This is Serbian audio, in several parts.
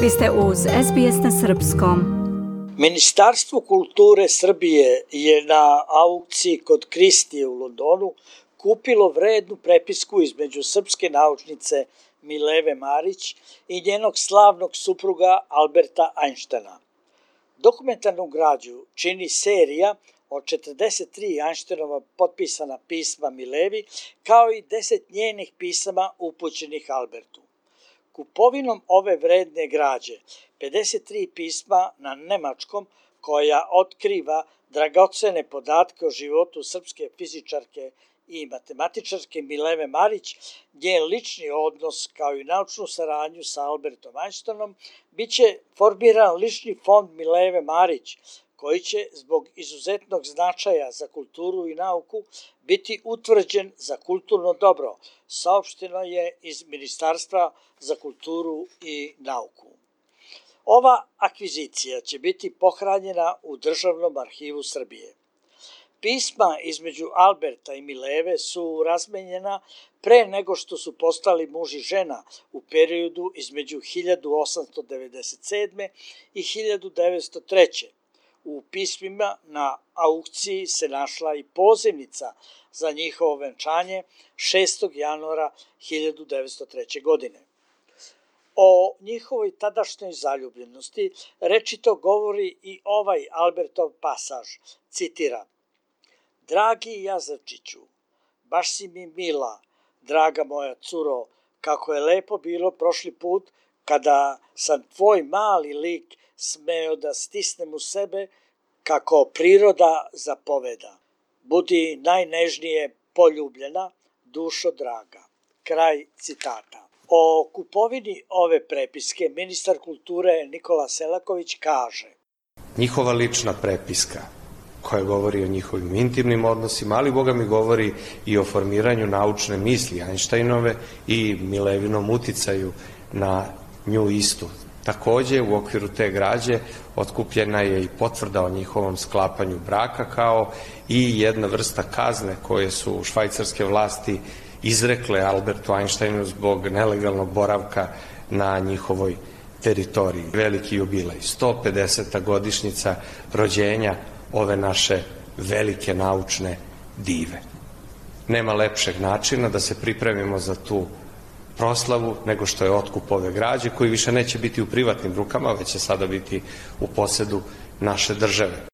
Vi ste uz SBS na srpskom. Ministarstvo kulture Srbije je na aukciji kod Kristije u Londonu kupilo vrednu prepisku između srpske naučnice Mileve Marić i njenog slavnog supruga Alberta Einsteina. Dokumentarnu građu čini serija od 43 Einsteinova potpisana pisma Milevi, kao i 10 njenih pisama upućenih Albertu. Kupovinom ove vredne građe, 53 pisma na nemačkom, koja otkriva dragocene podatke o životu srpske fizičarke i matematičarke Mileve Marić, njen lični odnos kao i naučnu saradnju sa Albertom Einsteinom, bit će formiran lični fond Mileve Marić, koji će zbog izuzetnog značaja za kulturu i nauku biti utvrđen za kulturno dobro, saopšteno je iz Ministarstva za kulturu i nauku. Ova akvizicija će biti pohranjena u Državnom arhivu Srbije. Pisma između Alberta i Mileve su razmenjena pre nego što su postali muž i žena u periodu između 1897. i 1903. U pismima na aukciji se našla i pozivnica za njihovo venčanje 6. januara 1903. godine. O njihovoj tadašnjoj zaljubljenosti rečito govori i ovaj Albertov pasaž, citiram: "Dragi Jazavčiću, baš si mi mila, draga moja curo, kako je lepo bilo prošli put kada sam tvoj mali lik smeo da stisnem u sebe kako priroda zapoveda. Budi najnežnije poljubljena, dušo draga." Kraj citata. O kupovini ove prepiske ministar kulture Nikola Selaković kaže: "Njihova lična prepiska koja govori o njihovim intimnim odnosima, ali Boga mi govori i o formiranju naučne misli Einsteinove i Milevinom uticaju na nju istu. Takođe, u okviru te građe otkupljena je i potvrda o njihovom sklapanju braka, kao i jedna vrsta kazne koje su švajcarske vlasti izrekle Albertu Einsteinu zbog nelegalnog boravka na njihovoj teritoriji. Veliki jubilej, 150. godišnjica rođenja ove naše velike naučne dive. Nema lepšeg načina da se pripremimo za tu proslavu nego što je otkup ove građe, koji više neće biti u privatnim rukama, već će sada biti u posedu naše države.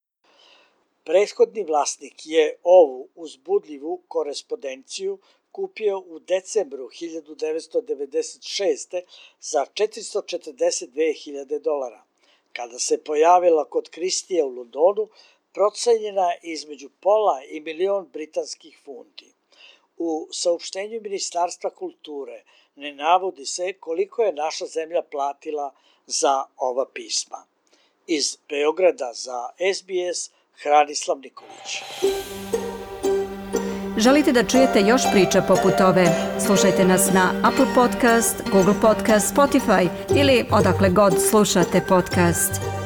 Prethodni vlasnik je ovu uzbudljivu korespondenciju kupio u decembru 1996. za $442.000. Kada se pojavila kod Kristije u Londonu, procenjena je između pola i milion britanskih funti. U saopštenju Ministarstva kulture ne navodi se koliko je naša zemlja platila za ova pisma. Iz Beograda za SBS, Hranislav Nikolić. Želite da čujete još priča poput ove? Slušajte nas na Apple Podcast, Google Podcast, Spotify ili odakle god slušate podcast.